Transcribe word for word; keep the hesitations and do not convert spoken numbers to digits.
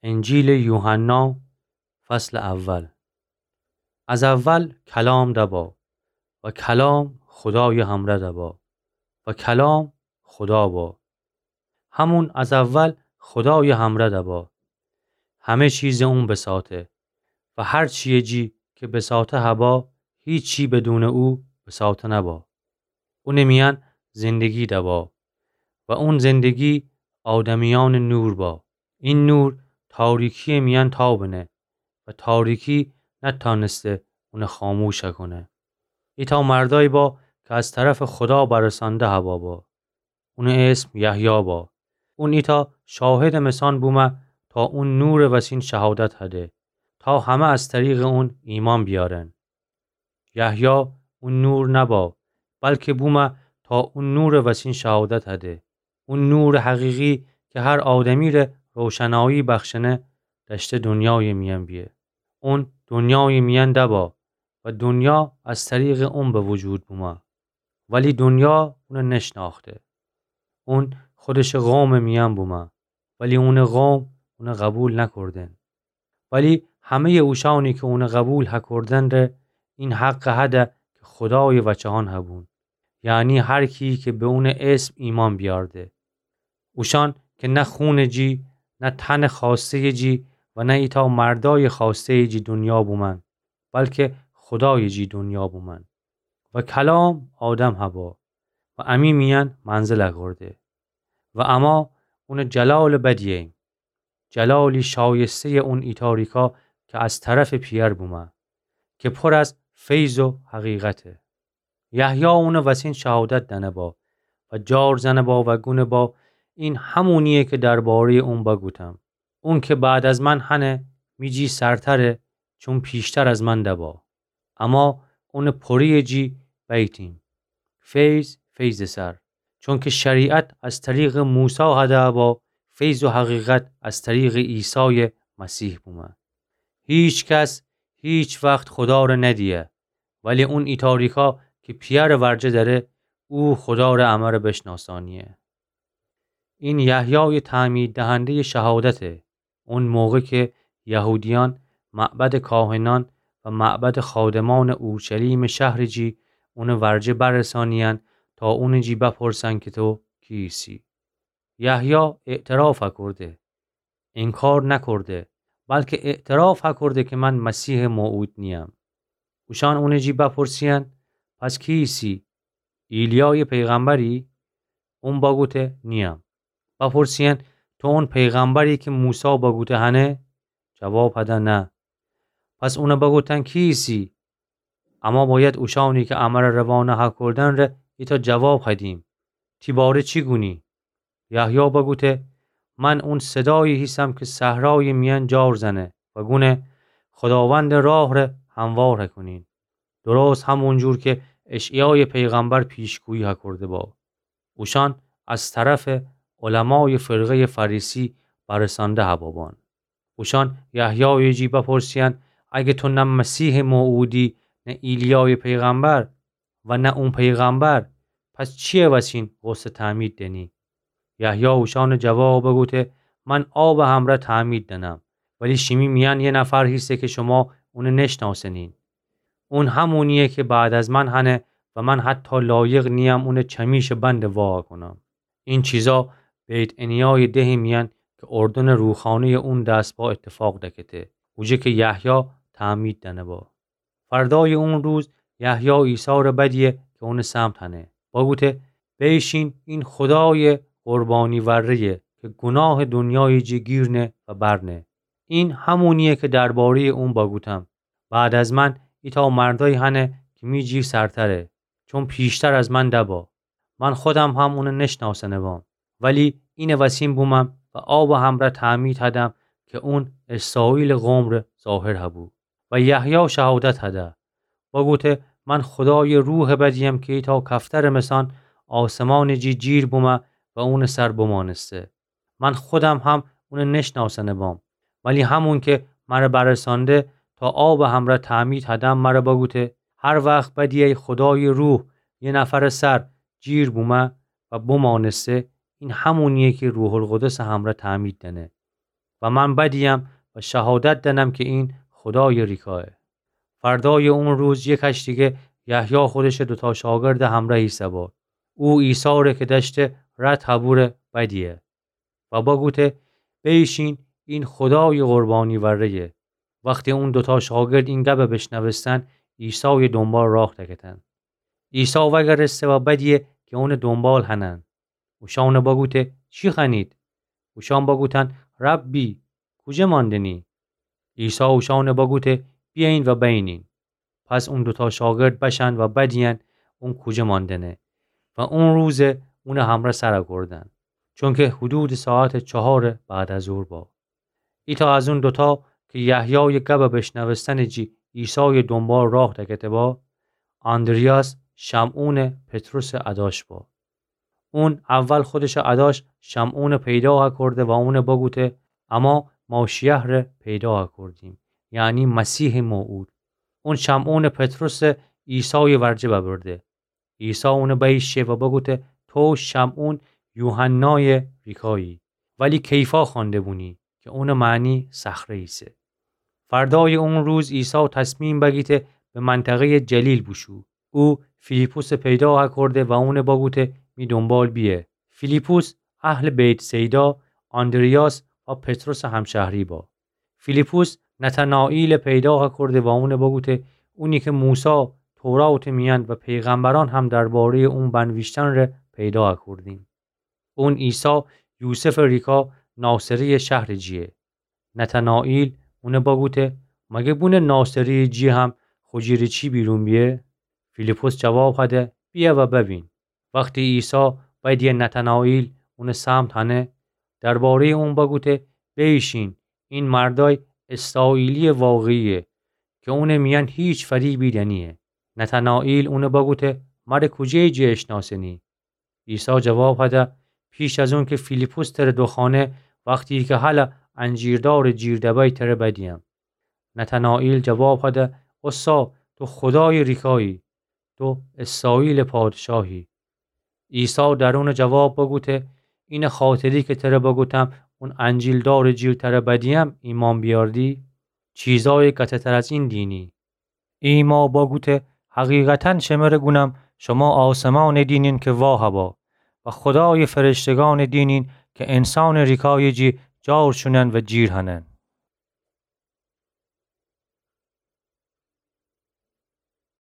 انجیلٚ یوحنا، فصلٚ اول. از اول کلام دبا و کلام خودایٚ همرأ دبا و کلام خودا با. همون از اول خودایٚ همرأ دبا. همه چیزٚ اون بساطه و هر چییٚ جی کی بساطه هبا، هیچی بدونٚ او بساطه نبا. اونٚ میأن زندگی دبا و اون زندگی آدمیأنٚ نور با. این نور تاریکییٚ میأن تابنه و تاریکی نتأنسته اون خاموش هکونه. ایتأ مردأیی با کی از طرفٚ خودا برسانده هبا با. اونٚ اسم یحیی با. اون ایتأ شاهدٚ مسان بومه تا اون نورٚ وسین شهادت هده، تا همه از طریقٚ اون ایمأن بیأرن. یحیی اون نور نبا، بلکه بومه تا اون نورٚ وسین شهادت هده. اون نورٚ حقیقی کی هر آدمیره روشنایی بخشنه، دأشته دونیایٚ میأن بیه. اون دونیایٚ میأن دبا و دونیا از طریقٚ اون به وجود بومه، ولی دونیا اون نشنأخته. اون خودشٚ قومٚ میأن بومه، ولی اونٚ قوم اون قبول نکردن. ولی همه‌یٚ اوشأنی کی اون قبول هکردن ره، این حق هده کی خودایٚ وچهأن هبون، یعنی هر کی کی به اونٚ اسم ایمأن بیأرده. اوشأن کی نه خونٚ جی، نه تنٚ خوأسته‌یٚ جی و نه ایتأ مردأیٚ خوأسته‌یٚ جی دونیا بومأن، بلکه خودایٚ جی دونیا بومأن. و کلام آدم هبا و امی میأن منزل اکرده و اما اونٚ جلالٚ بدییم. جلالی شایسته‌یٚ اون ایتاریکا کی از طرفٚ پییر بومه، کی پور از فیض و حقیقته. یحیی اونٚ وسین شهادت دأنه با و جار زنه با و گونه با: این همونییه کی درباره‌یٚ اون بگوتم. اون کی بعد از من هنه، می جی سرتره، چون پیشتر از من دبا. اما اونٚ پورییٚ جی بیتیم. فیض فیضٚ سر. چونکی شریعت از طریقٚ موسی هده با، فیض و حقیقت از طریقٚ عیسایٚ مسیح بومه. هیچ کس هیچ وخت خودا ره ندیه، ولی اون ایتاریکا کی پییرٚ ورجه دأره، او خودا ره امره بشناسانیه. این یحیایٚ تعمیددهنده‌یٚ شهادته. اون موقع کی یهودیأن معبدٚ کاهنأن و معبدٚ خادمأنٚ اورشلیمٚ شهرٚ جی اونٚ ورجه برسانییند تا اونٚ جی بپرسند کی تو کی ایسی؟ یحیی اعتراف هکرده، انکار نکرده، بلکی اعتراف هکرده کی من مسیحٚ موعود نییم. اوشأن اونٚ جی بپرسییند: پس کی ایسی؟ ایلیایٚ پیغمبری؟ اون بگوته: نییم. بپرسییند: تو اون پیغمبری کی موسی بگوته هنه؟ جواب هده: نه. پس اون بگوتند: کی ایسی؟ اما بأید اوشأنی کی امره روانه هکردن ره ایتأ جواب هدیم. تی باره چی گونی؟ یحیی بگوته: من اون صدایی هیسم کی صحرایٚ میأن جار زنه و گونه: خوداوندٚ راه ره هموار هکونین. درست همونجور کی اشعیایٚ پیغمبر پیشگویی هکرده با. اوشأن از طرفٚ علمایٚ فرقه‌یٚ فریسی برسانده هبا بان. اوشأن یحیایٚ جی بپرسییند: اگه تو نه مسیحٚ موعودی، نه ایلیایٚ پیغمبر و نه اون پیغمبر، پس چییٚ وسین غسل تعمید دنی؟ یحیی اوشأنٚ جواب بگوته: من آبٚ همرأ تعمید دنم، ولی شیمی میأن یه نفر هیسه کی شما اون نشناسنین. اون همونییه کی بعد از من هنه و من حتی لایق نییم اونٚ چمیشٚ بند وا کنم. این چیزا بیت‌عنیایٚ دهٚ میأن کی اردنٚ روخانه‌یٚ اون دس با اتفاق دکته، اوجه کی یحیی تعمید دأنه با. فردایٚ اون روز یحیی عیسی ره بدیه کی اونٚ سمت هنه. بگوته: بیشین، این خودایٚ قربانی وره‌یه کی گوناهٚ دونیایٚ جی گیرنه و برنه. این همونییه کی درباره‌یٚ اون بگوتم: بعد از من ایتأ مردأیی هنه کی می جی سرتره، چون پیشتر از من دبا. من خودم هم اون نشناسنه بام، ولی اینٚ وسین بومم و آبٚ همرأ تعمید هدم کی اون اسرائیلٚ قوم ره ظاهر هبو. و یحیی شهادت هده، بگوته: من خودایٚ روحٚ بدیم کی ایتأ کفترٚ مسأن آسمانٚ جی جیر بومه و اونٚ سر بمأنسته. من خودم هم اون نشناسنه بام، ولی همون کی مره برسانده تا آبٚ همرأ تعمید هدم مره بگوته: هر وخت بدیی خودایٚ روح یه نفرٚ سر جیر بومه و بمأنسته، این همونییه کی روح‌القدسٚ همرأ تعمید دأنه. و من بدیم و شهادت دأنم کی این خودایٚ ریکایه. فردایٚ اون روز یه کشتیگه یحیی خودشٚ دوتا شاگردٚ همرأ ایسه‌با. او عیسی ره کی دأشته رد هبوره بدیه و بگوته: بیشین، این خودایٚ قربانی وره‌یه. وختی اون دوتا شاگرد این گب بشنوستن، عیسایٚ دونبال راه دکتن. عیسی وگرسته و بدیه کی اونٚ دونبال هنن. اوشأنه بگوته: چی خوأنید؟ اوشأن بگوتن: ربی، کوجه ماندنی؟ عیسی اوشأنه بگوته: بیأیین و بینین. پس اون دوتا شاگرد بشن و بدیین اون کوجه ماندنه. و اون روزه اونٚ همرأ سر کوردن، چونکه حدودٚ ساعتٚ چهارٚ بعد از ظهر با. ایتأ از اون دوتا کی یحیایٚ گب بشنوستنٚ جی عیسایٚ دونبال راه دکته‌با، آندریاس، شمعونٚ پطرسٚ اداش با. اون اول خودشٚ اداش شمعونٚ پیدا هکورده و اونه بگوته: اما ماشی‌یحره پیدا هکوردیم، یعنی مسیحٚ موعود. اون شمعونٚ پطرسٚ عیسایٚ ورجه ببرده. عیسی اونه بیشه و بگوته: تو شمعون، یوحنایٚ ریکایی، ولی کیفا خوأنده بونی کی اونٚ معنی صخره ایسه. فردایٚ اون روز عیسی تصمیم بگیته به منطقه‌یٚ جلیل بوشو. او فیلیپسٚ پیدا هکورده و اونه بگوته: می دونبال بیأ. فیلیپس اهلٚ بیت‌صیدا، آندریاس و پطرسٚ همشهری با. فیلیپس نتنائیلٚ پیدا هکورده و اونه بگوته: اونی کی موسی توراتٚ میأن و پیغمبرأن هم درباره‌یٚ اون بنویشتن ره پیدا هکوردیم. اون عیسی، یوسفٚ ریکا، ناصره‌یٚ شهرٚ جیه. نتنائیل اونه بگوته: مگه بونٚ ناصره‌یٚ جی هم خو جی‌ره چی بیرون بیه؟ فیلیپس جواب هده: بیأ و ببین. وختی عیسی بدیه نتنائیل اونٚ سمت هنه، درباره‌یٚ اون بگوته: بیشین، این مردای اسرائیلی‌یٚ واقعی‌یه کی اونٚ میأن هیچ فریبی دنییه. نتنائیل اونه بگوته: مره کوجه‌یٚ جی اشناسنی؟ عیسی جواب هده: پیش از اونکی فیلیپس تره دوخوأنه، وختی کی هلأ انجیردارٚ جیر دبأی تره بدیم. نتنائیل جواب هده: اوستا تو خودایٚ ریکایی، تو اسرائیلٚ پادشاهی. عیسی در اونه جواب بگوته: اینٚ خاطری کی تره بگوتم اون انجیلدارٚ جیر تره بدیم ایمأن بیأردی؟ چیزایٚ قطع‌تر از این دینی. ایما بگوته: حقیقتاً شمره گونم، شما آسمانٚ دینین کی واه با و خودایٚ فرشتگانٚ دینین کی انسانٚ ریکایٚ جی جار شونن و جیر هنن.